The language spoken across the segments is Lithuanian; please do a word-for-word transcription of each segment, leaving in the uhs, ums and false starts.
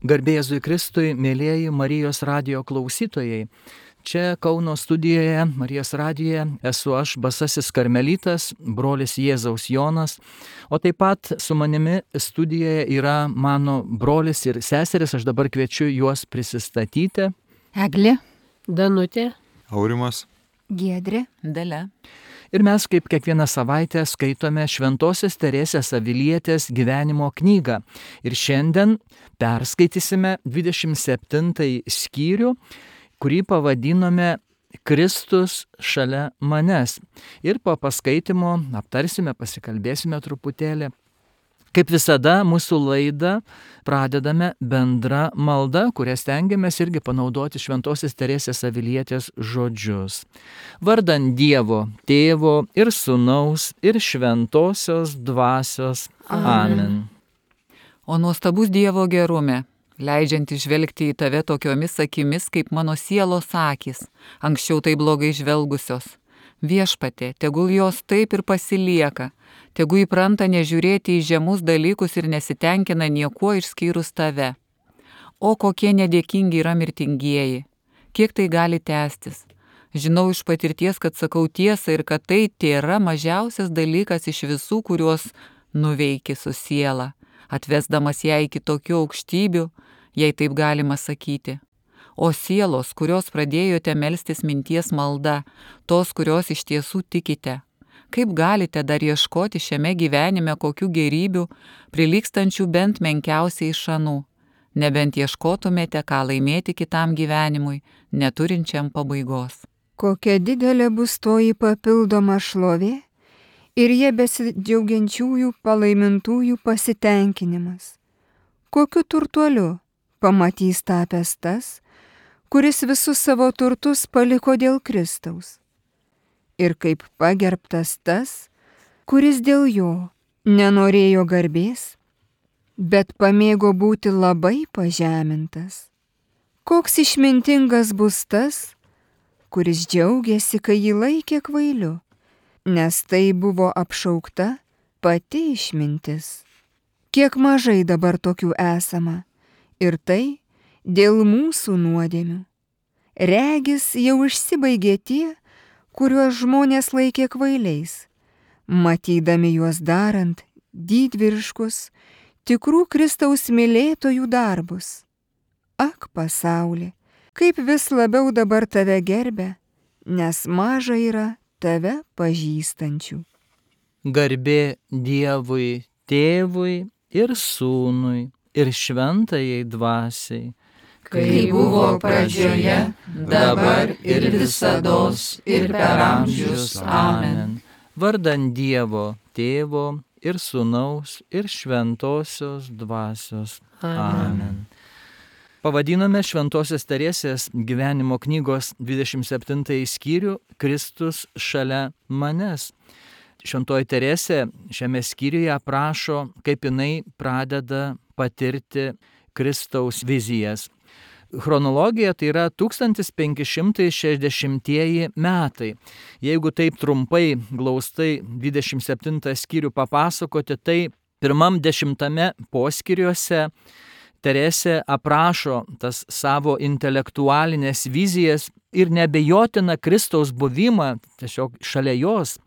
Garbė Jėzui Kristui, mėlyjeji Marijos radijo klausytojai. Čia Kauno studijoje, Marijos radijoje, esu aš, Basasis Karmelitas, brolis Jėzaus Jonas, o taip pat su manimi studijoje yra mano brolis ir seseris, aš dabar kviečiu juos prisistatyti. Eglė, Danutė, Aurimas, Giedrė, Dalia. Ir mes kaip kiekvieną savaitę skaitome Šventosios Teresės Avilietės gyvenimo knygą. Ir šiandien perskaitysime dvidešimt septintąjį skyrių, kurį pavadinome Kristus šalia manęs. Ir po paskaitimo aptarsime, pasikalbėsime truputėlį. Kaip visada, mūsų laidą pradedame bendra malda, kurią stengiamės irgi panaudoti Šventosios Teresės Avilietės žodžius. Vardan Dievo, Tėvo ir Sūnaus ir Šventosios Dvasios. Amen. O nuostabus Dievo gerume, leidžianti žvelgti į tave tokiomis akimis, kaip mano sielos akys, anksčiau tai blogai žvelgusios. Viešpatie, tegul jos taip ir pasilieka, tegu įpranta nežiūrėti į žemus dalykus ir nesitenkina niekuo išskyrus tave. O kokie nedėkingi yra mirtingieji, kiek tai gali tęstis. Žinau iš patirties, kad sakau tiesą ir kad tai tėra mažiausias dalykas iš visų, kuriuos nuveiki su siela, atvesdamas ją iki tokių aukštybių, jei taip galima sakyti. O sielos, kurios pradėjote melstis minties malda, tos, kurios iš tiesų tikite, kaip galite dar ieškoti šiame gyvenime kokių gerybių, prilygstančių bent menkiausiai šanų, nebent ieškotumėte, ką laimėti kitam gyvenimui, neturinčiam pabaigos. Kokia didelė bus toji papildoma šlovė ir jie besidžiaugiančiųjų palaimintųjų pasitenkinimas. Kokiu turtuoliu pamatys tapęs tas, kuris visus savo turtus paliko dėl Kristaus. Ir kaip pagerbtas tas, kuris dėl jo nenorėjo garbės, bet pamėgo būti labai pažemintas. Koks išmintingas bus tas, kuris džiaugiasi, kai jį laikė kvailiu, nes tai buvo apšaukta pati išmintis. Kiek mažai dabar tokių esama, ir tai dėl mūsų nuodėmių. Regis jau išsibaigė tie, kuriuos žmonės laikė kvailiais, matydami juos darant didvyriškus, tikrų Kristaus mylėtojų darbus. Ak, pasauli, kaip vis labiau dabar tave gerbia, nes maža yra tave pažįstančių. Garbė Dievui, Tėvui ir Sūnui ir Šventajai Dvasiai, kai buvo pradžioje, dabar ir visados, ir per amžius. Amen. Vardan Dievo, Tėvo ir Sūnaus ir Šventosios Dvasios. Amen. Pavadinome Šventosios Teresės gyvenimo knygos dvidešimt septintąjį skyrių Kristus šalia manęs. Šventoji Teresė šiame skyriuje aprašo, kaip jinai pradeda patirti Kristaus vizijas. Chronologija tai yra tūkstantis penki šimtai šešiasdešimtieji metai. Jeigu taip trumpai, glaustai dvidešimt septintą skyrių papasakoti, tai pirmam dešimtame poskyriuose Teresė aprašo tas savo intelektualinės vizijas ir neabejotina Kristaus buvimą tiesiog šalia jos.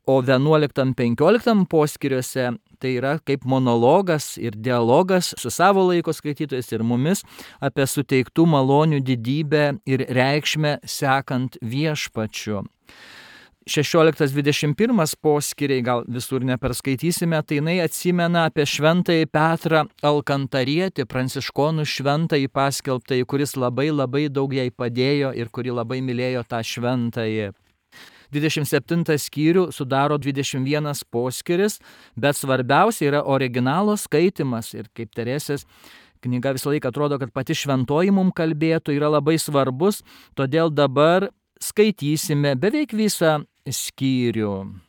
O vienuoliktam penkioliktam poskyriuose tai yra kaip monologas ir dialogas su savo laiko skaitytojais ir mumis apie suteiktų malonių didybę ir reikšmę sekant viešpačiu. šešioliktas dvidešimt pirmas poskyriai, gal visur neperskaitysime, tai jinai atsimena apie šventąjį Petrą Alkantarietį, pranciškonų šventąjį paskelbtąjį, kuris labai labai daug jai padėjo ir kuri labai mylėjo tą šventąjį. dvidešimt septintą skyrių sudaro dvidešimt vienas poskyris, bet svarbiausia yra originalo skaitimas. Ir kaip Teresės knyga visą laiką atrodo, kad pati šventoji mums kalbėtų, yra labai svarbus, todėl dabar skaitysime beveik visą skyrių.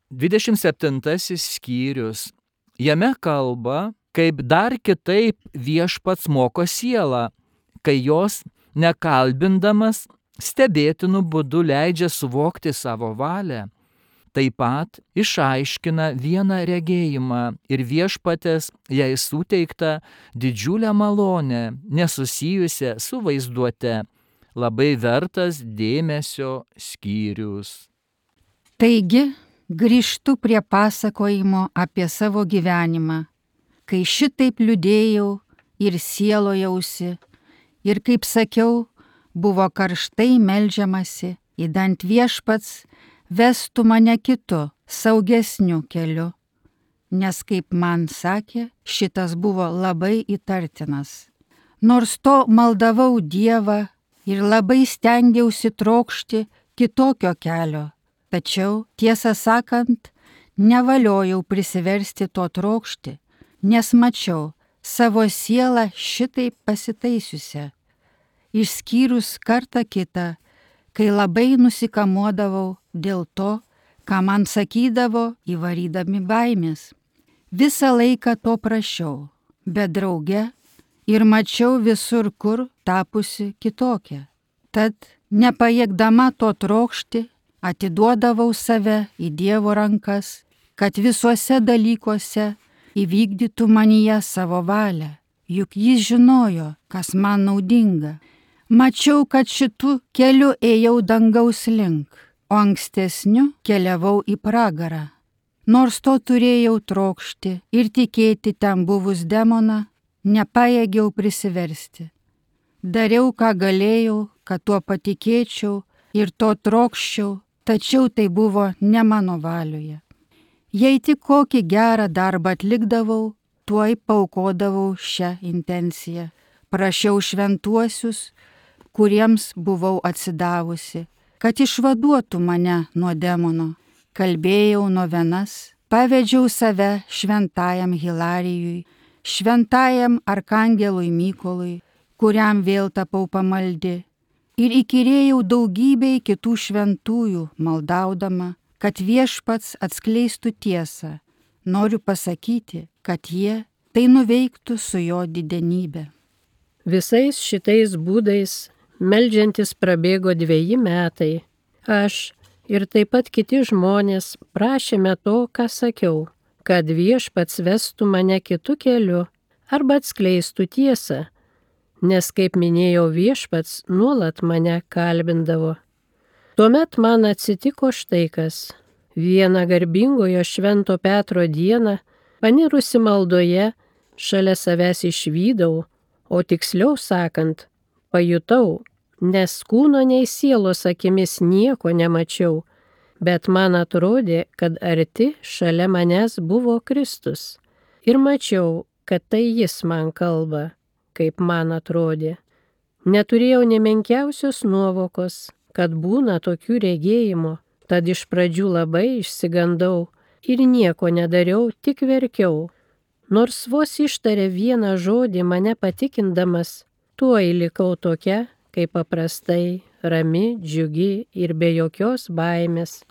dvidešimt septintasis skyrius. Jame kalba, kaip dar kitaip viešpats moko sielą, kai jos nekalbindamas stebėtinų būdų leidžia suvokti savo valią. taip pat išaiškina vieną regėjimą ir viešpatės jai suteiktą didžiulę malonę, nesusijusią su vaizduote, labai vertas dėmesio skyrius. Taigi, grįžtu prie pasakojimo apie savo gyvenimą, kai šitaip liūdėjau ir sielojausi, ir kaip sakiau, buvo karštai meldžiamasi, idant viešpats vestų mane kitu, saugesniu keliu, nes, kaip man sakė, šitas buvo labai įtartinas. Nors to maldavau Dievą ir labai stengiausi trokšti kitokio kelio, tačiau, tiesą sakant, nevaliojau prisiversti to trokšti, nes mačiau savo sielą šitaip pasitaisiusią, išskyrus kartą kitą, kai labai nusikamuodavau dėl to, ką man sakydavo įvarydami baimės. Visą laiką to prašiau, bet drauge ir mačiau visur kur tapusi kitokia. Tad, nepajėgdama to trokšti, atiduodavau save į Dievo rankas, kad visuose dalykuose įvykdytų manyje savo valią, juk jis žinojo, kas man naudinga. Mačiau, kad šitų keliu ėjau dangaus link, o ankstesniu keliavau į pragarą. Nors to turėjau trokšti ir tikėti ten buvus demoną, nepajėgiau prisiversti. Dariau, ką galėjau, kad tuo patikėčiau ir to trokščiau, tačiau tai buvo ne mano valioje. Jei tik kokį gerą darbą atlikdavau, tuoj paukodavau šią intenciją. Prašiau šventuosius, kuriems buvau atsidavusi, kad išvaduotų mane nuo demono. Kalbėjau novenas, pavedžiau save šventajam Hilarijui, šventajam arkangelui Mykolui, kuriam vėl tapau pamaldi, ir įkyrėjau daugybei kitų šventųjų, maldaudama, kad viešpats atskleistų tiesą. Noriu pasakyti, kad jie tai nuveiktų su jo didenybe. Visais šitais būdais meldžiantis prabėgo dveji metai. Aš ir taip pat kiti žmonės prašėme to, ką sakiau, kad viešpats vestų mane kitu keliu arba atskleistų tiesą, nes, kaip minėjau, viešpats nuolat mane kalbindavo. Tuomet man atsitiko štai kas. Vieną garbingojo Švento Petro dieną, panirusi maldoje, šalia savęs išvydau, o tiksliau sakant, pajutau, nes kūno nei sielos akimis nieko nemačiau, bet man atrodė, kad arti šalia manęs buvo Kristus. Ir mačiau, kad tai jis man kalba, kaip man atrodė. Neturėjau nė menkiausios nuovokos, kad būna tokių regėjimų, tad iš pradžių labai išsigandau ir nieko nedariau, tik verkiau. Nors vos ištarė vieną žodį mane patikindamas, tuoj likau tokia, kaip paprastai, rami, džiugi ir be jokios baimės.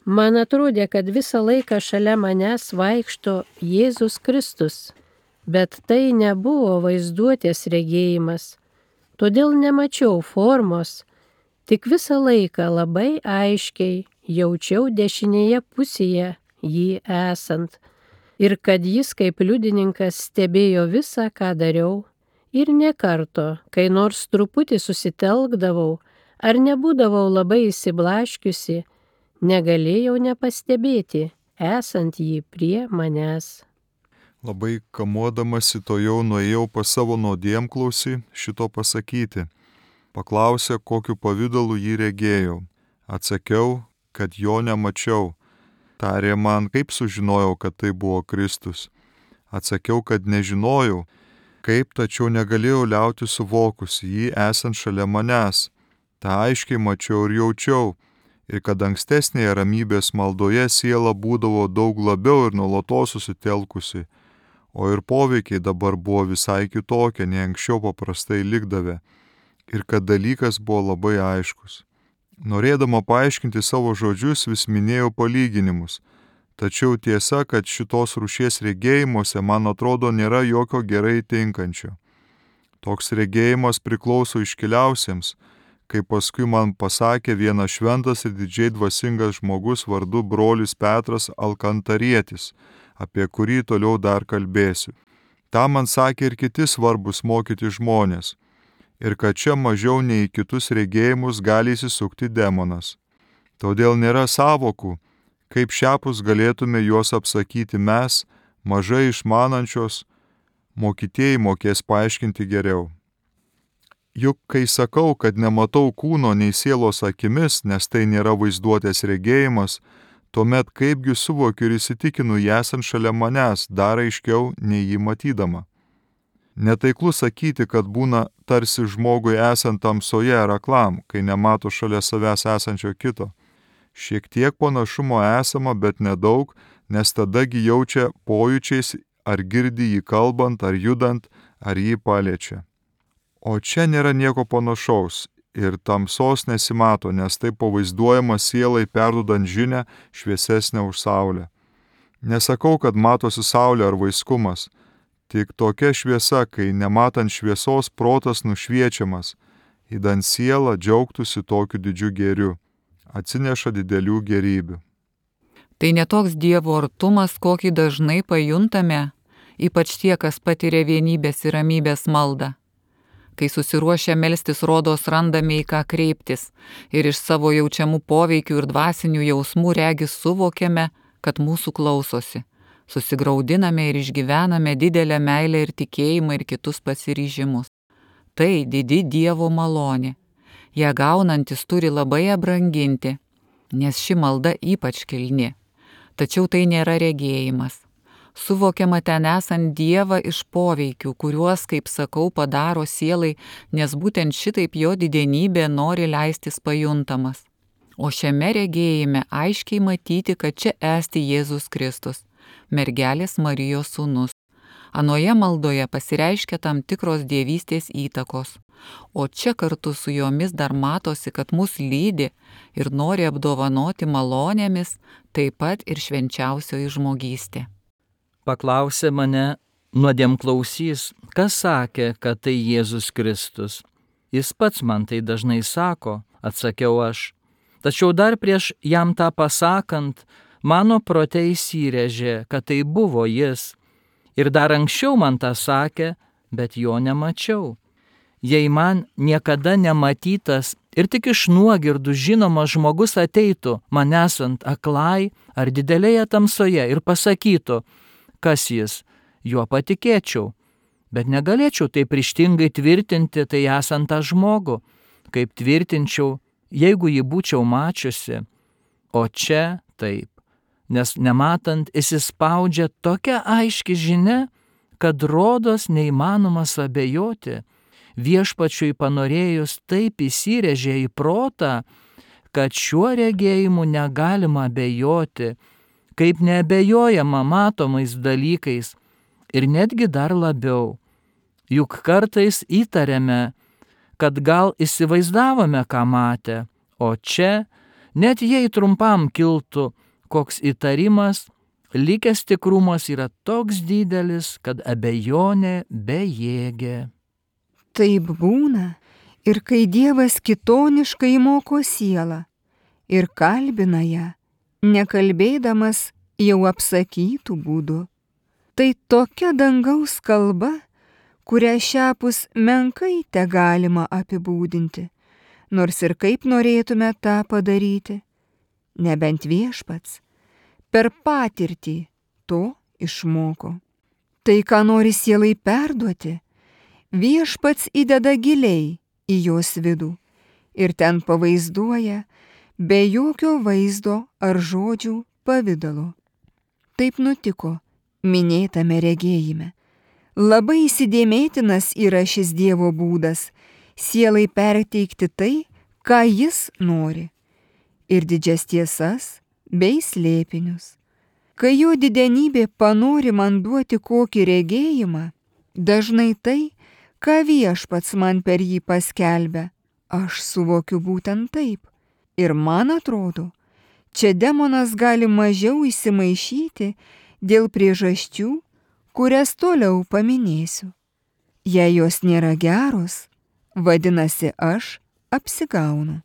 Man atrodė, kad visą laiką šalia manęs vaikšto Jėzus Kristus, bet tai nebuvo vaizduotės regėjimas, todėl nemačiau formos, tik visą laiką labai aiškiai jaučiau dešinėje pusėje jį esant ir kad jis kaip liudininkas stebėjo visą, ką dariau. Ir ne karto, kai nors truputį susitelkdavau ar nebūdavau labai įsiblaškiusi, negalėjau nepastebėti, esant jį prie manęs. Labai kamuodamasi to jau nuėjau pas savo nuodėmklausį šito pasakyti. Paklausė, kokiu pavidalu jį regėjau. Atsakiau, kad jo nemačiau. Tarė man, kaip sužinojau, kad tai buvo Kristus. Atsakiau, kad nežinojau, kaip, tačiau negalėjau liauti suvokusi jį esant šalia manęs. Ta aiškiai mačiau ir jaučiau, ir kad ankstesnėje ramybės maldoje siela būdavo daug labiau ir nuolatos susitelkusi, o ir poveikiai dabar buvo visai kitokie, nei anksčiau paprastai likdavę, ir kad dalykas buvo labai aiškus. Norėdama paaiškinti savo žodžius, vis minėjau palyginimus. Tačiau tiesa, kad šitos rūšies regėjimuose, man atrodo, nėra jokio gerai tinkančio. Toks regėjimas priklauso iškiliausiems, kaip paskui man pasakė vienas šventas ir didžiai dvasingas žmogus vardu brolis Petras Alkantarietis, apie kurį toliau dar kalbėsiu. Ta man sakė ir kiti svarbus mokyti žmonės, ir kad čia mažiau nei į kitus regėjimus gali įsisukti demonas. Todėl nėra savokų, kaip šiapus galėtume juos apsakyti mes, mažai išmanančios, mokytieji mokės paaiškinti geriau. Juk kai sakau, kad nematau kūno nei sielos akimis, nes tai nėra vaizduotės regėjimas, tuomet kaipgi suvokiu ir įsitikinu jį esant šalia manęs, dar aiškiau nei jį matydama. Netaiklu sakyti, kad būna tarsi žmogui esant tamsoje ar aklam, kai nemato šalia savęs esančio kito. Šiek tiek panašumo esama, bet nedaug, nes tadagi jaučia pojūčiais, ar girdi jį kalbant, ar judant, ar jį paliečia. O čia nėra nieko panašaus ir tamsos nesimato, nes tai pavaizduojama sielai perdudant žinią šviesesnę už saulę. Nesakau, kad matosi saulė ar vaiskumas, tik tokia šviesa, kai nematant šviesos protas nušviečiamas, įdant sielą džiaugtųsi tokiu didžiu gėriu, atsineša didelių gėrybių. Tai netoks Dievo artumas, kokį dažnai pajuntame, ypač tie, kas patiria vienybės ir ramybės maldą. Kai susiruošę melstis, rodos randame į ką kreiptis ir iš savo jaučiamų poveikių ir dvasinių jausmų regis suvokiame, kad mūsų klausosi. Susigraudiname ir išgyvename didelę meilę ir tikėjimą ir kitus pasiryžimus. Tai didi Dievo malonė. Ją gaunantis turi labai ją branginti, nes ši malda ypač kilni. Tačiau tai nėra regėjimas. Suvokiama ten esant Dievą iš poveikių, kuriuos, kaip sakau, padaro sielai, nes būtent šitaip jo didenybė nori leistis pajuntamas. O šiame regėjime aiškiai matyti, kad čia esti Jėzus Kristus, mergelės Marijos sūnus. Anoje maldoje pasireiškia tam tikros dievystės įtakos, o čia kartu su jomis dar matosi, kad mus lydi ir nori apdovanoti malonėmis, taip pat ir švenčiausioji žmogystė. Paklausė mane nuodėmklausys, kas sakė, kad tai Jėzus Kristus. Jis pats man tai dažnai sako, atsakiau aš. Tačiau dar prieš jam tą pasakant, mano prote įsirėžė, kad tai buvo jis. Ir dar anksčiau man tą sakė, bet jo nemačiau. Jei man niekada nematytas ir tik iš nuogirdų žinomas žmogus ateitų, man esant aklai ar didelėje tamsoje ir pasakytų, kas jis, juo patikėčiau, bet negalėčiau taip ryžtingai tvirtinti tai esant tą žmogų, kaip tvirtinčiau, jeigu jį būčiau mačiusi. O čia taip, nes nematant įsispaudžia tokia aiški žinia, kad rodos neįmanomas abejoti. Viešpačiui panorėjus taip įsirėžė į protą, kad šiuo regėjimu negalima abejoti, kaip neabejojama matomais dalykais ir netgi dar labiau. Juk kartais įtariame, kad gal įsivaizdavome, ką matę, o čia, net jei trumpam kiltų koks įtarimas, likęs tikrumas yra toks didelis, kad abejonė bejėgė. Taip būna ir kai Dievas kitoniškai moko sielą ir kalbina ją, nekalbėdamas jau apsakytų būdų. Tai tokia dangaus kalba, kurią šiapus menkai te galima apibūdinti, nors ir kaip norėtume tą padaryti, nebent Viešpats per patirtį to išmoko. Tai, ką nori sielai perduoti, Viešpats įdeda giliai į jos vidų ir ten pavaizduoja be jokio vaizdo ar žodžių pavidalo. Taip nutiko minėtame regėjime. Labai įsidėmėtinas yra šis Dievo būdas sielai perteikti tai, ką jis nori, ir didžias tiesas bei slėpinius. Kai jo didenybė panori man duoti kokį regėjimą, dažnai tai, ką Viešpats man per jį paskelbia, aš suvokiu būtent taip. Ir man atrodo, čia demonas gali mažiau įsimaišyti dėl priežasčių, kurias toliau paminėsiu. Jei jos nėra geros, vadinasi aš apsigaunu.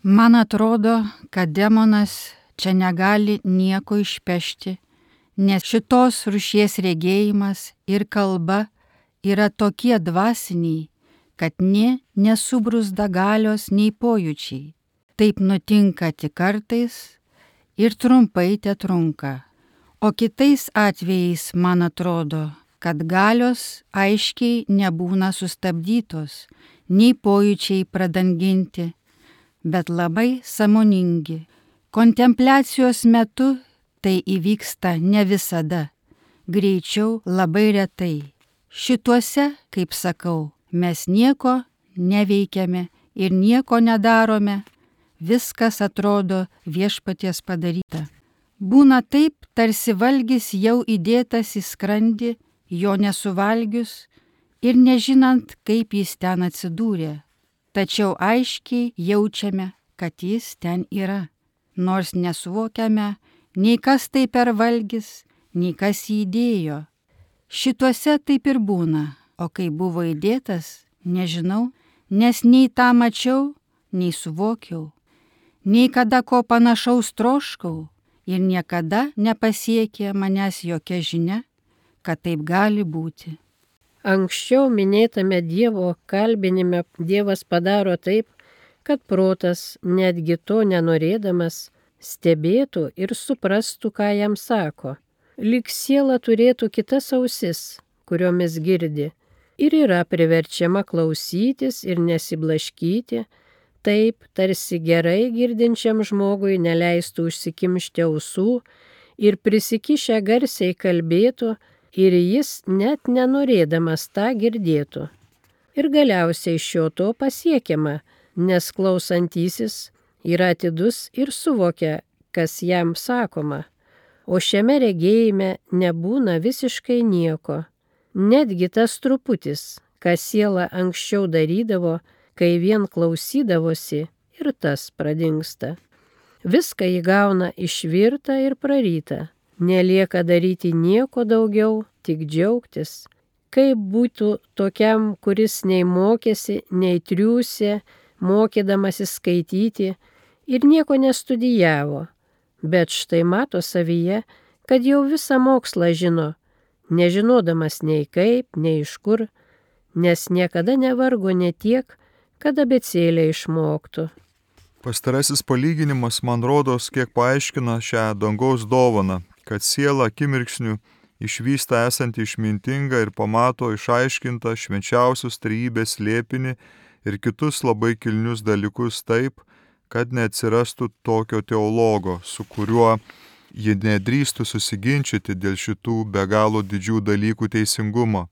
Man atrodo, kad demonas čia negali nieko išpešti, nes šitos rūšies regėjimas ir kalba yra tokie dvasiniai, kad nė nesubruzda galios nei pojūčiai. Taip nutinka tik kartais ir trumpai te trunka. O kitais atvejais man atrodo, kad galios aiškiai nebūna sustabdytos, nei pojūčiai pradanginti, bet labai sąmoningi. Kontempliacijos metu tai įvyksta ne visada, greičiau labai retai. Šituose, kaip sakau, mes nieko neveikiame ir nieko nedarome, viskas atrodo viešpaties padaryta. Būna taip, tarsi valgis jau įdėtas į skrandį, jo nesuvalgius ir nežinant, kaip jis ten atsidūrė. Tačiau aiškiai jaučiame, kad jis ten yra, nors nesuvokiame, nei kas tai per valgis, nei kas jį įdėjo. Šituose taip ir būna, o kai buvo įdėtas, nežinau, nes nei tą mačiau, nei suvokiau, nei kada ko panašaus troškau ir niekada nepasiekė manęs jokia žinia, kad taip gali būti. Anksčiau minėtame Dievo kalbinime Dievas padaro taip, kad protas, netgi to nenorėdamas, stebėtų ir suprastų, ką jam sako. Lyg siela turėtų kitas ausis, kuriomis girdi, ir yra priverčiama klausytis ir nesiblaškyti, taip tarsi gerai girdinčiam žmogui neleistų užsikimšti ausų ir prisikišę garsiai kalbėtų, ir jis net nenorėdamas tą girdėtų. Ir galiausiai šio to pasiekiama, nes klausantysis yra atidus ir suvokia, kas jam sakoma. O šiame regėjime nebūna visiškai nieko. Netgi tas truputis, ką siela anksčiau darydavo, kai vien klausydavosi, ir tas pradingsta. Viską įgauna išvirta ir praryta. Nelieka daryti nieko daugiau, tik džiaugtis. Kaip būtų tokiam, kuris nei mokėsi, nei triūsė, mokydamasis skaityti ir nieko nestudijavo, bet štai mato savyje, kad jau visą mokslą žino, nežinodamas nei kaip, nei iš kur, nes niekada nevargo ne tiek, kad abėcėlę išmoktų. Pastarasis palyginimas man rodos, kiek paaiškina šią dangaus dovaną, kad siela akimirksniu išvysta esantį išmintingą ir pamato išaiškintą švenčiausios trejybės slėpinį ir kitus labai kilnius dalykus taip, kad neatsirastų tokio teologo, su kuriuo ji nedrįstų susiginčyti dėl šitų be galo didžių dalykų teisingumo.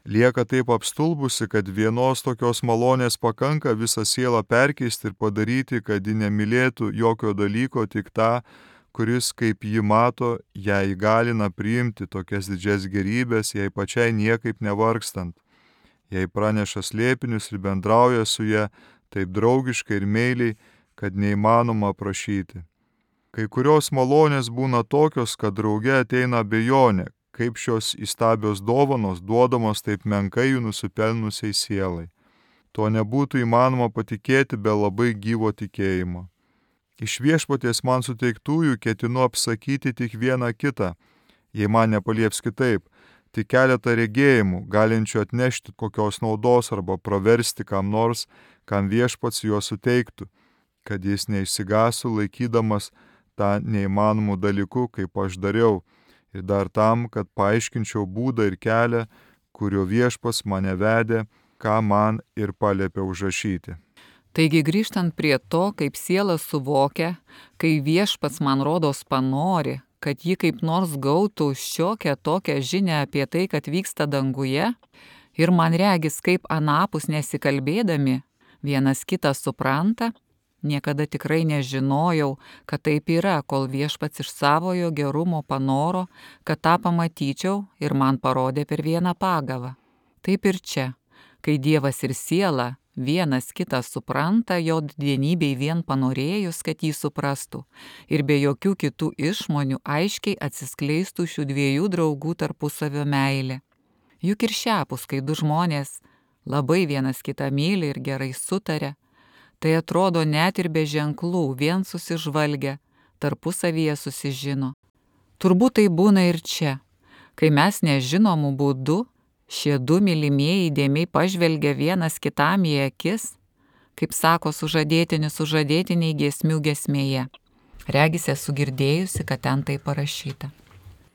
Lieka taip apstulbusi, kad vienos tokios malonės pakanka visą sielą perkeisti ir padaryti, kad ji nemylėtų jokio dalyko, tik tą, kuris, kaip ji mato, ją įgalina priimti tokias didžias gerybės, jai pačiai niekaip nevargstant. Jai praneša slėpinius ir bendrauja su ja taip draugiškai ir meiliai, kad neįmanoma aprašyti. Kai kurios malonės būna tokios, kad drauge ateina abejonė, kaip šios įstabios dovanos duodamos taip menkai jų nusipelnusiai sielai. To nebūtų įmanoma patikėti be labai gyvo tikėjimo. Iš viešpaties man suteiktųjų ketinu apsakyti tik vieną kitą, jei man nepalieps kitaip, tik keletą regėjimų, galinčių atnešti kokios naudos arba praversti kam nors, kam viešpats jo suteiktų, kad jis neišsigasų laikydamas tą neįmanomų dalykų, kaip aš dariau, ir dar tam, kad paaiškinčiau būdą ir kelią, kurio viešpats mane vedė, ką man ir paliepė užrašyti. Taigi grįžtant prie to, kaip siela suvokia, kai viešpats man rodos panori, kad ji kaip nors gautų šiokią tokią žinią apie tai, kad vyksta danguje, ir man regis, kaip anapus nesikalbėdami, vienas kitą supranta, niekada tikrai nežinojau, kad taip yra, kol viešpats iš savojo gerumo panoro, kad tą pamatyčiau ir man parodė per vieną pagavą. Taip ir čia, kai Dievas ir siela vienas kitą supranta, jo dienybei vien panorėjus, kad jį suprastų, ir be jokių kitų išmonių aiškiai atsiskleistų šių dviejų draugų tarpusavio meilė. Juk ir šiapus, kai du žmonės labai vienas kitą myli ir gerai sutaria, Tai atrodo net ir be ženklų, vien susižvalgę, tarpusavyje susižino. Turbūt tai būna ir čia, kai mes nežinomų būdų, šie du mylimieji įdėmiai pažvelgia vienas kitam į akis, kaip sako sužadėtinis sužadėtiniai giesmių giesmėje. Regis esu girdėjusi, kad ten tai parašyta.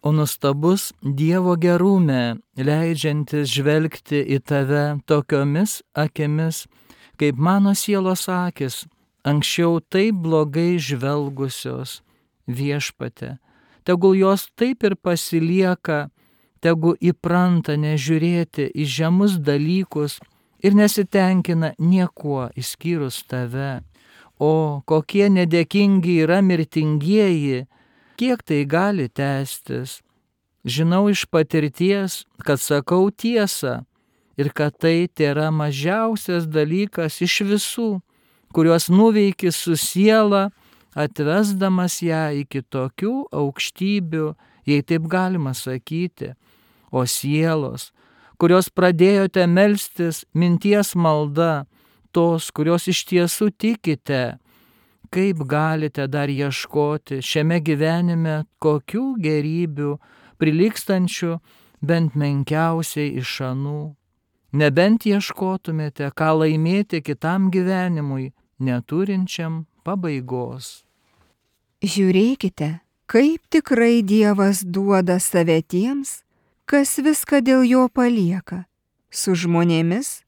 O nuostabus Dievo gerume, leidžiantis žvelgti į tave tokiomis akimis, kaip mano sielos akis, anksčiau taip blogai žvelgusios, Viešpatie. Tegul jos taip ir pasilieka, tegu įpranta nežiūrėti į žemus dalykus ir nesitenkina niekuo išskyrus tave. O kokie nedėkingi yra mirtingieji, kiek tai gali tęstis. Žinau iš patirties, kad sakau tiesą ir kad tai tėra mažiausias dalykas iš visų, kuriuos nuveiki su siela, atvesdamas ją iki tokių aukštybių, jei taip galima sakyti. O sielos, kurios pradėjote melstis minties malda, tos, kurios iš tiesų tikite, kaip galite dar ieškoti šiame gyvenime kokių gerybių, prilygstančių bent menkiausiai iš anų. Nebent ieškotumėte, ką laimėti kitam gyvenimui, neturinčiam pabaigos. Žiūrėkite, kaip tikrai Dievas duoda save tiems, kas viską dėl jo palieka. Su žmonėmis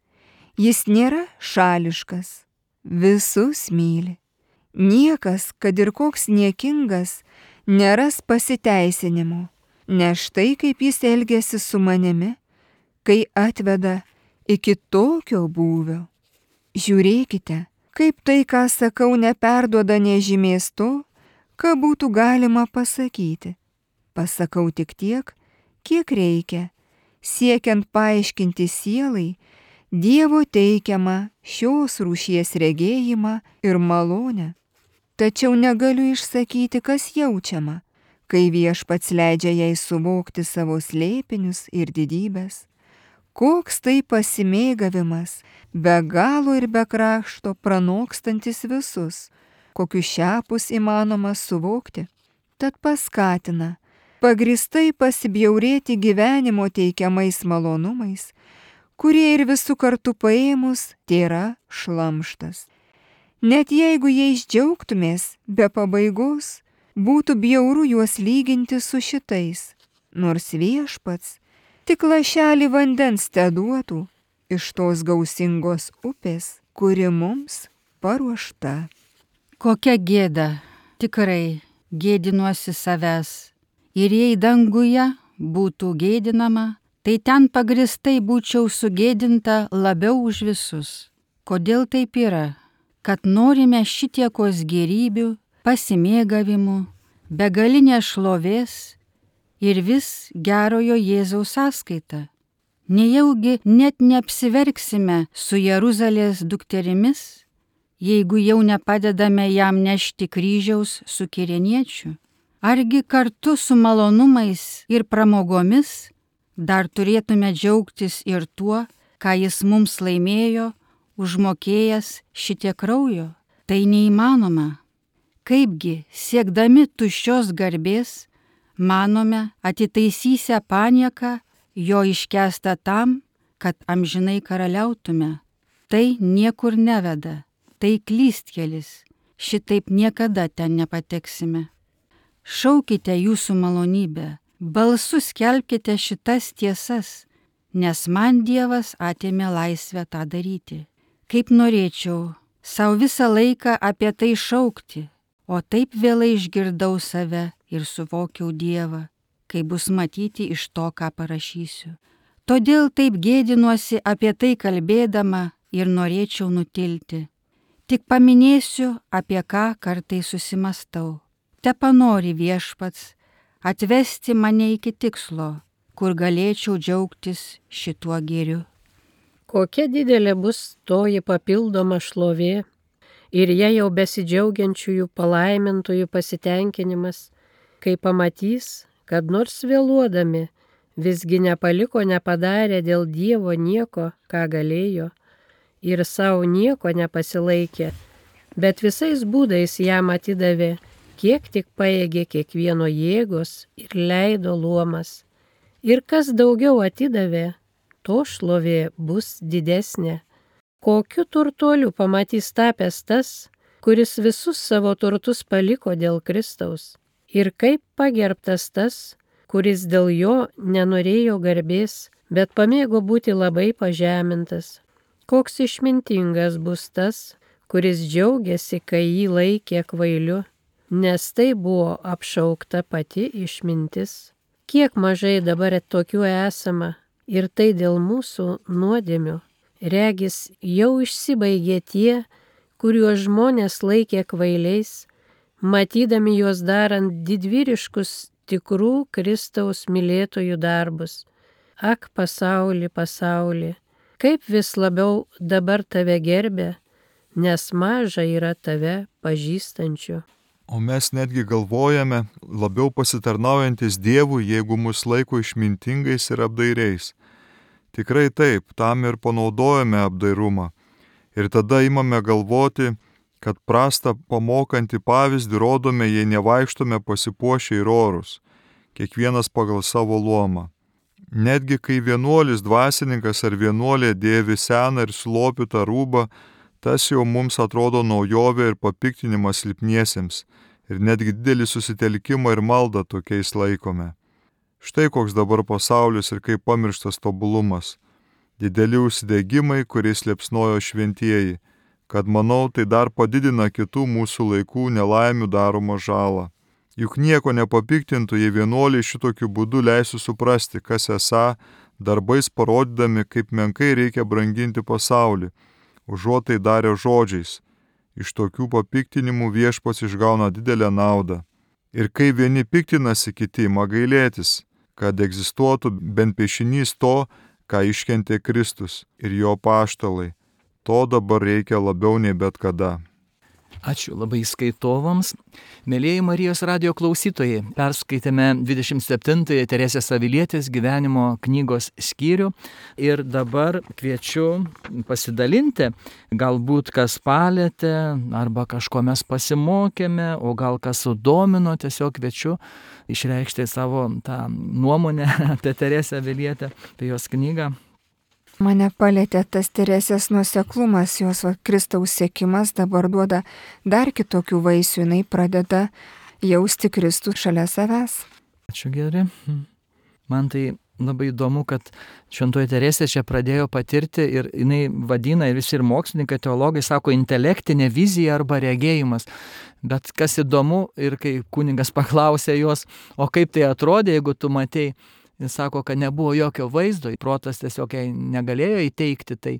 jis nėra šališkas, visus myli. Niekas, kad ir koks niekingas, neras pasiteisinimo, nes štai kaip jis elgiasi su manimi, kai atveda iki tokio būvio. Žiūrėkite, kaip tai, ką sakau, neperduoda nežymės to, ką būtų galima pasakyti. Pasakau tik tiek, kiek reikia, siekiant paaiškinti sielai Dievo teikiamą šios rūšies regėjimą ir malonę. Tačiau negaliu išsakyti, kas jaučiama, kai Viešpats leidžia jai suvokti savo slėpinius ir didybės. Koks tai pasimėgavimas, be galo ir be krašto pranokstantis visus, kokius šiapus įmanoma suvokti, tad paskatina pagristai pasibjaurėti gyvenimo teikiamais malonumais, kurie ir visų kartu paėmus tėra šlamštas. Net jeigu jais džiaugtumės be pabaigos, būtų bjauru juos lyginti su šitais, nors Viešpats tik lašelį vandens teduotų iš tos gausingos upės, kuri mums paruošta. Kokia gėda, tikrai gėdinuosi savęs. Ir jei danguje būtų gėdinama, tai ten pagristai būčiau sugėdinta labiau už visus. Kodėl taip yra? Kad norime šitiekos gėrybių, pasimėgavimų, begalinės šlovės ir vis gerojo Jėzaus sąskaita. Nejaugi net neapsiverksime su Jeruzalės dukterimis, jeigu jau nepadedame jam nešti kryžiaus su kirėniečiu? Argi kartu su malonumais ir pramogomis dar turėtume džiaugtis ir tuo, ką jis mums laimėjo, užmokėjęs šitie kraujo? Tai neįmanoma. Kaipgi, siekdami tuščios garbės, manome atitaisysę panieką jo iškęstą tam, kad amžinai karaliautume. Tai niekur neveda, tai klystkelis, šitaip niekada ten nepateksime. Šaukite jūsų malonybę, balsu skelbkite šitas tiesas, nes man Dievas atėmė laisvę tą daryti. Kaip norėčiau savo visą laiką apie tai šaukti, o taip vėlai išgirdau save ir suvokiau Dievą, kai bus matyti iš to, ką parašysiu. Todėl taip gėdinuosi apie tai kalbėdama ir norėčiau nutilti. Tik paminėsiu, apie ką kartais susimastau. Te panori Viešpats atvesti mane iki tikslo, kur galėčiau džiaugtis šituo gėriu. Kokia didelė bus toji papildoma šlovė ir jie jau besidžiaugiančiųjų palaimintųjų pasitenkinimas, kai pamatys, kad nors vėluodami visgi nepaliko nepadarę dėl Dievo nieko, ką galėjo, ir savo nieko nepasilaikė, bet visais būdais jam atidavė, kiek tik paėgė kiekvieno jėgos ir leido luomas. Ir kas daugiau atidavė, to šlovė bus didesnė. Kokiu turtuoliu pamatys tapęs tas, kuris visus savo turtus paliko dėl Kristaus, ir kaip pagerbtas tas, kuris dėl jo nenorėjo garbės, bet pamėgo būti labai pažemintas. Koks išmintingas bus tas, kuris džiaugiasi, kai jį laikė kvailiu, nes tai buvo apšaukta pati išmintis. Kiek mažai dabar tokių esama, ir tai dėl mūsų nuodėmių. Regis jau išsibaigė tie, kuriuos žmonės laikė kvailiais, matydami juos darant didvyriškus tikrų Kristaus mylėtojų darbus. Ak, pasauli, pasauli, kaip vis labiau dabar tave gerbė, nes maža yra tave pažįstančių. O mes netgi galvojame, labiau pasitarnaujantis Dievui, jeigu mus laiko išmintingais ir apdairiais. Tikrai taip, tam ir panaudojame apdairumą. Ir tada imame galvoti, kad prastą pamokantį pavyzdį rodome, jei nevaikštome pasipuošę ir orus, kiekvienas pagal savo luomą. Netgi kai vienuolis dvasininkas ar vienuolė dėvi seną ir sulopytą rūbą, tas jau mums atrodo naujovė ir papiktinimas silpniesiems, ir netgi didelį susitelkimą ir maldą tokiais laikome. Štai koks dabar pasaulis ir kaip pamirštas tobulumas. Dideli užsidegimai, kuriais liepsnojo šventieji, kad manau tai dar padidina kitų mūsų laikų nelaimių daromą žalą. Juk nieko nepapiktintų, jei vienuoliai šitokiu būdu leisų suprasti, kas esą, darbais parodydami, kaip menkai reikia branginti pasaulį, užuot tai darė žodžiais. Iš tokių papiktinimų Viešpats išgauna didelę naudą. Ir kai vieni piktinasi, kiti ima gailėtis, kad egzistuotų bent piešinys to, ką iškentė Kristus ir jo apaštalai. To dabar reikia labiau nei bet kada. Ačiū labai skaitovams. Mėlieji Marijos radijo klausytojai, perskaitėme dvidešimt septintąją Teresės Avilietės gyvenimo knygos skyrių ir dabar kviečiu pasidalinti, galbūt kas palėtė, arba kažko mes pasimokėme, o gal kas sudomino, tiesiog kviečiu išreikšti savo tą nuomonę apie Teresę Avilietę, apie jos knygą. Mane palėtė tas Teresės nuoseklumas, jos va, Kristaus sekimas dabar duoda dar kitokių vaisių, jinai pradeda jausti Kristų šalia savęs. Ačiū geri. Man tai labai įdomu, kad šventoji Teresė čia pradėjo patirti ir jinai vadina, ir visi ir mokslininkai, teologai sako, intelektinė vizija arba regėjimas. Bet kas įdomu, ir kai kunigas paklausė jos, o kaip tai atrodė, jeigu tu matei, jis sako, kad nebuvo jokio vaizdo, protas tiesiog negalėjo įteikti tai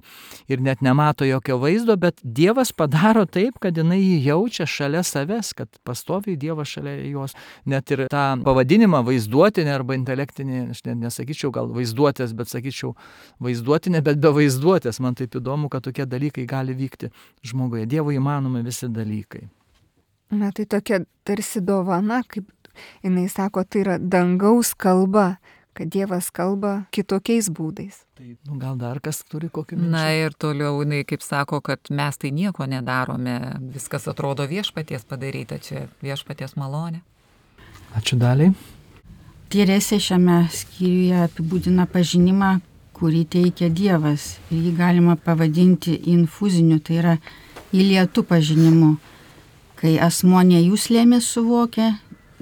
ir net nemato jokio vaizdo, bet Dievas padaro taip, kad jinai jį jaučia šalia savęs, kad pastoviai Dievas šalia jos. Net ir tą pavadinimą vaizduotinė arba intelektinė, aš net nesakyčiau gal vaizduotės, bet sakyčiau vaizduotinė, bet be vaizduotės. Man taip įdomu, kad tokie dalykai gali vykti žmoguje. Dievui įmanomi visi dalykai. Na tai tokia tarsi dovana, kaip jinai sako, tai yra dangaus kalba, kad Dievas kalba kitokiais būdais. Tai nu, gal dar kas turi kokį minčių? Na ir toliau jinai kaip sako, kad mes tai nieko nedarome, viskas atrodo viešpaties padaryta, čia viešpaties malonė. Ačiū Daliai. Teresė šiame skyriuje apibūdina pažinimą, kurį teikia Dievas. Ir jį galima pavadinti infuziniu, tai yra įlietų pažinimu, kai asmuo nejuslėmis suvokia,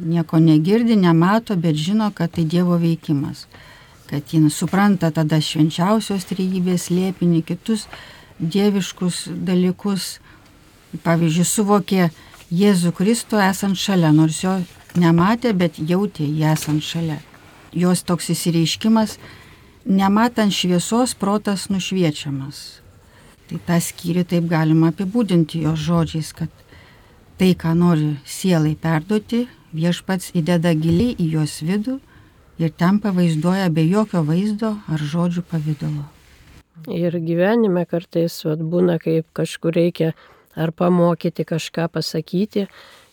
nieko negirdi, nemato, bet žino, kad tai Dievo veikimas. Kad jis supranta tada švenčiausios trejybės slėpinį, kitus dieviškus dalykus. Pavyzdžiui, suvokė Jėzų Kristų esant šalia, nors jo nematė, bet jautė jį esant šalia. Jos toks įsireiškimas, nematant šviesos, protas nušviečiamas. Tai tą skyrių taip galima apibūdinti jos žodžiais, kad tai, ką nori sielai perduoti, Viešpats įdeda giliai į jos vidų ir ten pavaizduoja be jokio vaizdo ar žodžių pavidalo. Ir gyvenime kartais vat, būna, kaip kažkur reikia ar pamokyti, kažką pasakyti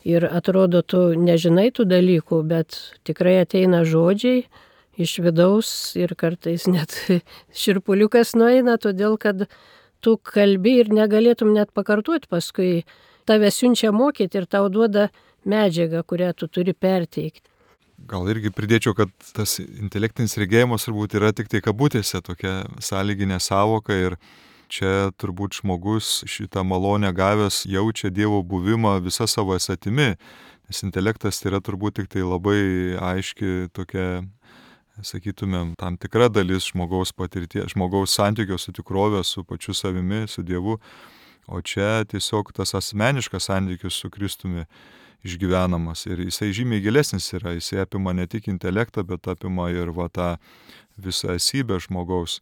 ir atrodo, tu nežinai tų dalykų, bet tikrai ateina žodžiai iš vidaus ir kartais net širpuliukas nueina, todėl kad tu kalbi ir negalėtum net pakartoti, paskui tave siunčia mokyti ir tau duoda medžiagą, kurią tu turi perteikti. Gal irgi pridėčiau, kad tas intelektinis regėjimas turbūt yra tik tai kabutėse tokia sąlyginė sąvoka ir čia turbūt žmogus šitą malonę gavęs jaučia Dievo buvimą visą savo esatimi, nes intelektas tai yra turbūt tik tai labai aiški tokia, sakytumėm, tam tikra dalis žmogaus patirties, žmogaus santykio su tikrove, su pačiu savimi, su Dievu, o čia tiesiog tas asmeniškas santykis su Kristumi išgyvenamas ir jisai žymiai gilesnis yra, jisai apima ne tik intelektą, bet apima ir va tą visą esybę žmogaus.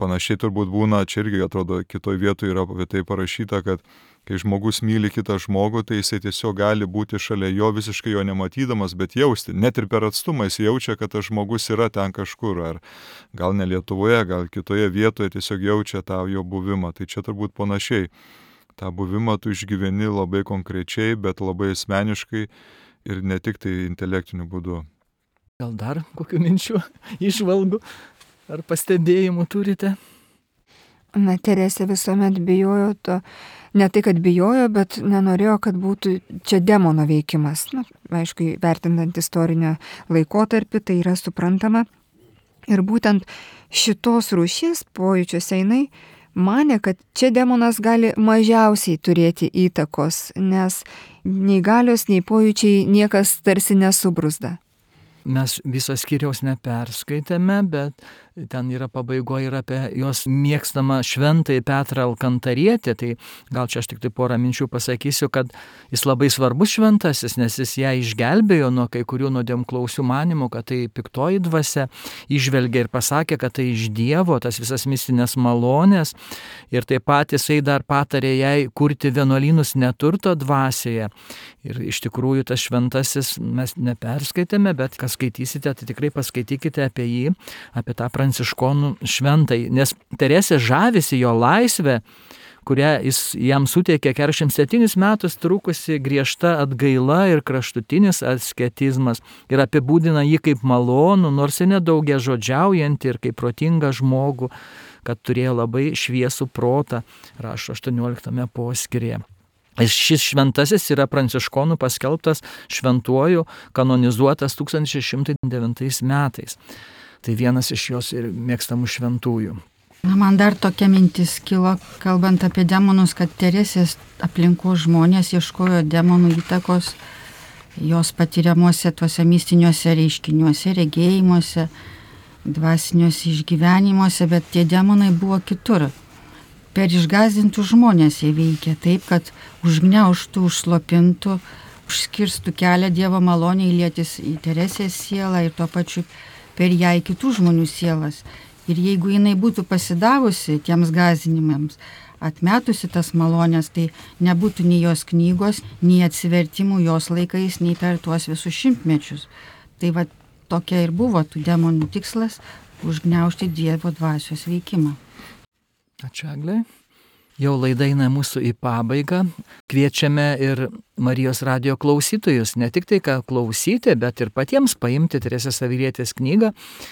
Panašiai turbūt būna, čia irgi atrodo kitoj vietoje yra apie tai parašyta, kad kai žmogus myli kitą žmogų, tai jisai tiesiog gali būti šalia jo visiškai jo nematydamas, bet jausti, net ir per atstumą jis jaučia, kad tas žmogus yra ten kažkur, ar gal ne Lietuvoje, gal kitoje vietoje tiesiog jaučia tą jo buvimą. Tai čia turbūt panašiai. tą buvimą tu išgyveni labai konkrečiai, bet labai asmeniškai ir ne tik tai intelektiniu būdu. Gal dar kokių minčių, išvalgų ar pastebėjimų turite? Na, Teresė visuomet bijojo to, ne tai, kad bijojo, bet nenorėjo, kad būtų čia demono veikimas. Na, aišku, vertinant istorinę laikotarpį, tai yra suprantama. Ir būtent šitos rūšies pojūčiuose jinai manė, kad čia demonas gali mažiausiai turėti įtakos, nes nei galios, nei pojūčiai niekas tarsi nesubruzda. Mes viso skyriaus neperskaitėme, bet ten yra pabaigoje ir apie jos mėgstamą šventąjį Petrą Alkantarietį. Tai gal čia aš tik tai porą minčių pasakysiu, kad jis labai svarbus šventasis, nes jis ją išgelbėjo nuo kai kurių nuodėmklausių manymų, kad tai piktoji dvasia, išvelgė ir pasakė, kad tai iš Dievo, tas visas mistinės malonės. Ir taip pat jisai dar patarė jai kurti vienuolynus neturto dvasioje. Ir iš tikrųjų tas šventasis mes neperskaitėme, bet kas skaitysite, tai tikrai paskaitykite apie jį, apie tą pranciškonų šventąjį, nes Teresė žavisi jo laisvę, kurią jis jam suteikė keturiasdešimt septynis metus trukusi griežta atgaila ir kraštutinis asketizmas ir apibūdina jį kaip malonų, nors ir nedaugia žodžiaujantį ir kaip protingą žmogų, kad turėjo labai šviesų protą, rašo aštuonioliktame poskyryje. Šis šventasis yra pranciškonų paskelbtas šventuoju, kanonizuotas tūkstantis šeši šimtai devintais metais. Tai vienas iš jos ir mėgstamų šventųjų. Na, man dar tokia mintis kilo, kalbant apie demonus, kad Teresės aplinkos žmonės ieškojo demonų įtakos jos patiriamuose tuose mistiniuose reiškiniuose, regėjimuose, dvasiniuose išgyvenimuose, bet tie demonai buvo kitur. Per išgąsdintų žmonės jie veikia taip, kad užgniaužtų, užslopintų, užskirstų kelią Dievo maloniai lietis į Teresės sielą ir tuo pačiu per ją į kitų žmonių sielas. Ir jeigu jinai būtų pasidavusi tiems gąsdinimams, atmetusi tas malonės, tai nebūtų nei jos knygos, nei atsivertimų jos laikais, nei per tuos visus šimtmečius. Tai va tokia ir buvo tų demonų tikslas - užgniaužti Dievo dvasios veikimą. Ačiū, Eglė. Jau laida eina mūsų į pabaigą. Kviečiame ir Marijos radijo klausytojus ne tik tai ką klausyti, bet ir patiems paimti Teresės Avilietės knygą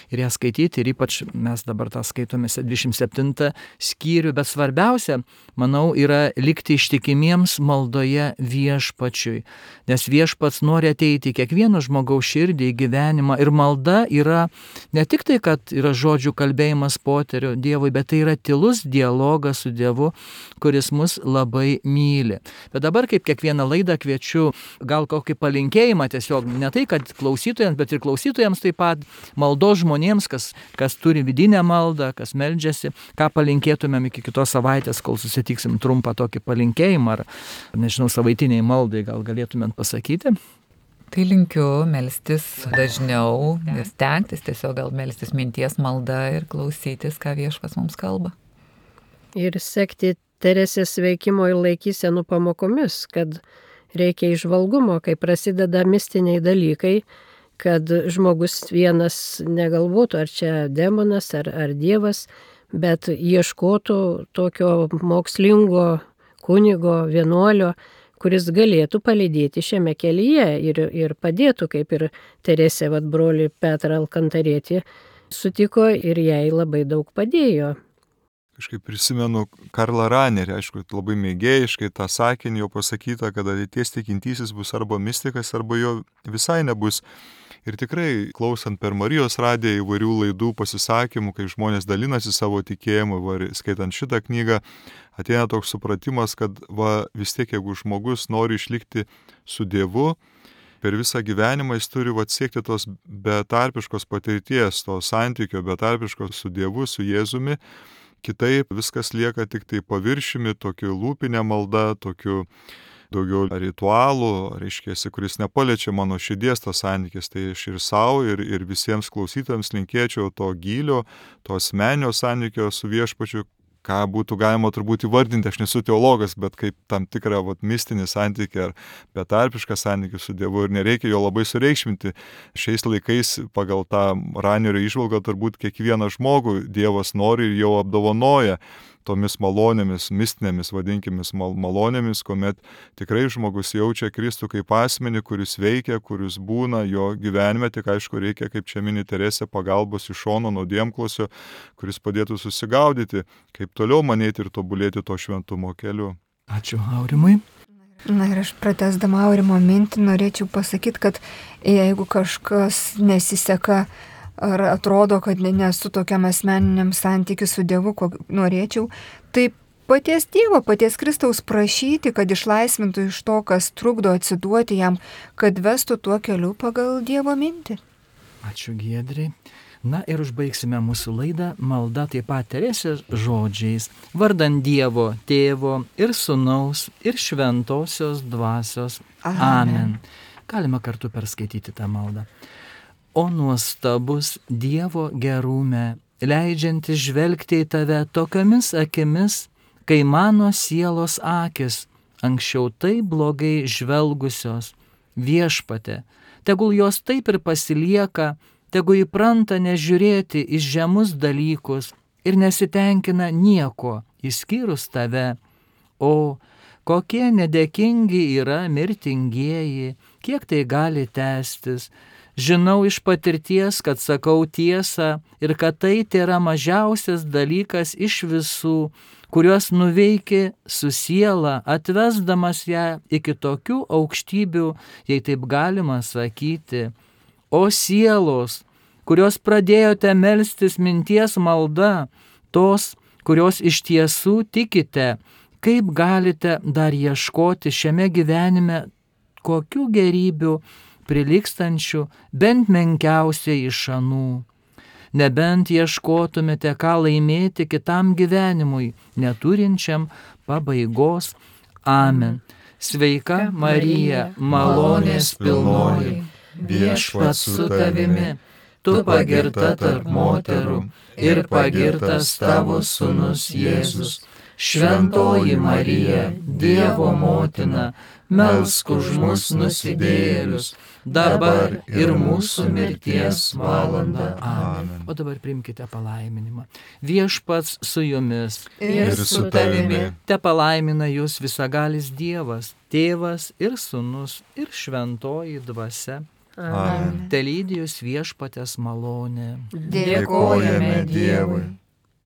ir ją skaityti. Ir ypač mes dabar tą skaitome dvidešimt septintą skyrių. Bet svarbiausia, manau, yra likti ištikimiems maldoje viešpačiui. Nes viešpats nori ateiti į kiekvieno žmogaus širdį, į gyvenimą. Ir malda yra ne tik tai, kad yra žodžių kalbėjimas poteriu Dievui, bet tai yra tylus dialogas su Dievu, kuris mus labai myli. Bet dabar kaip kiekvieną laidą kviečiu gal kokį palinkėjimą, tiesiog ne tai, kad klausytojams, bet ir klausytojams taip pat, maldos žmonėms, kas, kas turi vidinę maldą, kas meldžiasi, ką palinkėtumėm iki kitos savaitės, kol susitiksim, trumpą tokį palinkėjimą, ar, nežinau, savaitiniai maldai gal galėtumėm pasakyti. Tai linkiu melstis dažniau ir stengtis tiesiog gal melstis minties malda ir klausytis, ką viešpas mums kalba. Ir sekti Teresės veikimo ir laikysenų pamokomis, kad reikia įžvalgumo, kai prasideda mistiniai dalykai, kad žmogus vienas negalvotų, ar čia demonas, ar, ar Dievas, bet ieškotų tokio mokslingo kunigo, vienuolio, kuris galėtų palydėti šiame kelyje ir, ir padėtų, kaip ir Teresė, vat, brolį Petrą Alkantarietį sutiko ir jai labai daug padėjo. Kažkaip prisimenu Karlą Ranerį, aišku, labai mėgėjiškai tą sakinį jau pasakyta, kad ateities tikintysis bus arba mistikas, arba jo visai nebus. Ir tikrai, klausant per Marijos radiją įvairių laidų pasisakymų, kai žmonės dalinasi savo tikėjimu, va, skaitant šitą knygą, ateina toks supratimas, kad va, vis tiek, jeigu žmogus nori išlikti su Dievu, per visą gyvenimą jis turi va, siekti tos betarpiškos patirties, to santykio betarpiškos su Dievu, su Jėzumi. Kitaip viskas lieka tik tai paviršiumi, tokiu lūpinė malda, tokiu daugiau ritualų, reiškia, kuris nepaliečia mano širdies tas santykis. Tai aš ir savo, ir, ir visiems klausytojams linkėčiau to gylio, to asmeninio santykio su Viešpačiu, ką būtų galima turbūt įvardinti, aš nesu teologas, bet kaip tam tikrą vat, mistinį santykį ar betarpišką santykį su Dievu, ir nereikia jo labai sureikšminti. Šiais laikais pagal tą Ranerio įžvalgą turbūt kiekvieną žmogų Dievas nori ir jau apdovanoja tomis malonėmis, mistinėmis, vadinkimis mal- malonėmis, kuomet tikrai žmogus jaučia Kristų kaip asmenį, kuris veikia, kuris būna jo gyvenime, tik aišku reikia, kaip čia mini Teresė, pagalbos iš šono nuodėmklausio, kuris padėtų susigaudyti, kaip toliau manėti ir tobulėti to šventumo keliu. Ačiū Aurimui. Na ir aš pratęsdama Aurimo mintį norėčiau pasakyti, kad jeigu kažkas nesiseka ar atrodo, kad nesu tokiam asmeniniam santykiu su Dievu, ko norėčiau, tai paties Dievo, paties Kristaus prašyti, kad išlaisvintų iš to, kas trukdo atsiduoti jam, kad vestų tuo keliu pagal Dievo mintį. Ačiū Giedriai. Na ir užbaigsime mūsų laidą malda taip pat Teresės žodžiais. Vardan Dievo, Tėvo ir Sūnaus ir Šventosios Dvasios. Amen. Amen. Galima kartu perskaityti tą maldą. O nuostabus Dievo gerume, leidžiantis žvelgti į tave tokiomis akimis, kai mano sielos akis anksčiau taip blogai žvelgusios, Viešpatie, tegul jos taip ir pasilieka, tegul įpranta nežiūrėti į žemus dalykus ir nesitenkina nieko, išskyrus tave. O kokie nedėkingi yra mirtingieji, kiek tai gali tęstis. Žinau iš patirties, kad sakau tiesą ir kad tai tėra mažiausias dalykas iš visų, kuriuos nuveiki su siela, atvesdamas ją iki tokių aukštybių, jei taip galima sakyti. O sielos, kurios pradėjote melstis minties malda, tos, kurios iš tiesų tikite, kaip galite dar ieškoti šiame gyvenime kokių gerybių prilygstančių bent menkiausiai iš anų. Nebent ieškotumėte, ką laimėti kitam gyvenimui, neturinčiam pabaigos. Amen. Sveika Marija, malonės pilnoji, Viešpats su tavimi, tu pagirta tarp moterų ir pagirtas tavo sūnus Jėzus. Šventoji Marija, Dievo motina, melsk už mus nusidėjėlius, dabar ir mūsų mirties valanda. Amen. O dabar priimkite palaiminimą. Viešpats su jumis Ir su tavimi. te palaimina jūs visagalis Dievas, Tėvas ir Sūnus ir Šventoji Dvasia. Amen. Telydį jūs Viešpaties malonė. Dėkojame Dievui.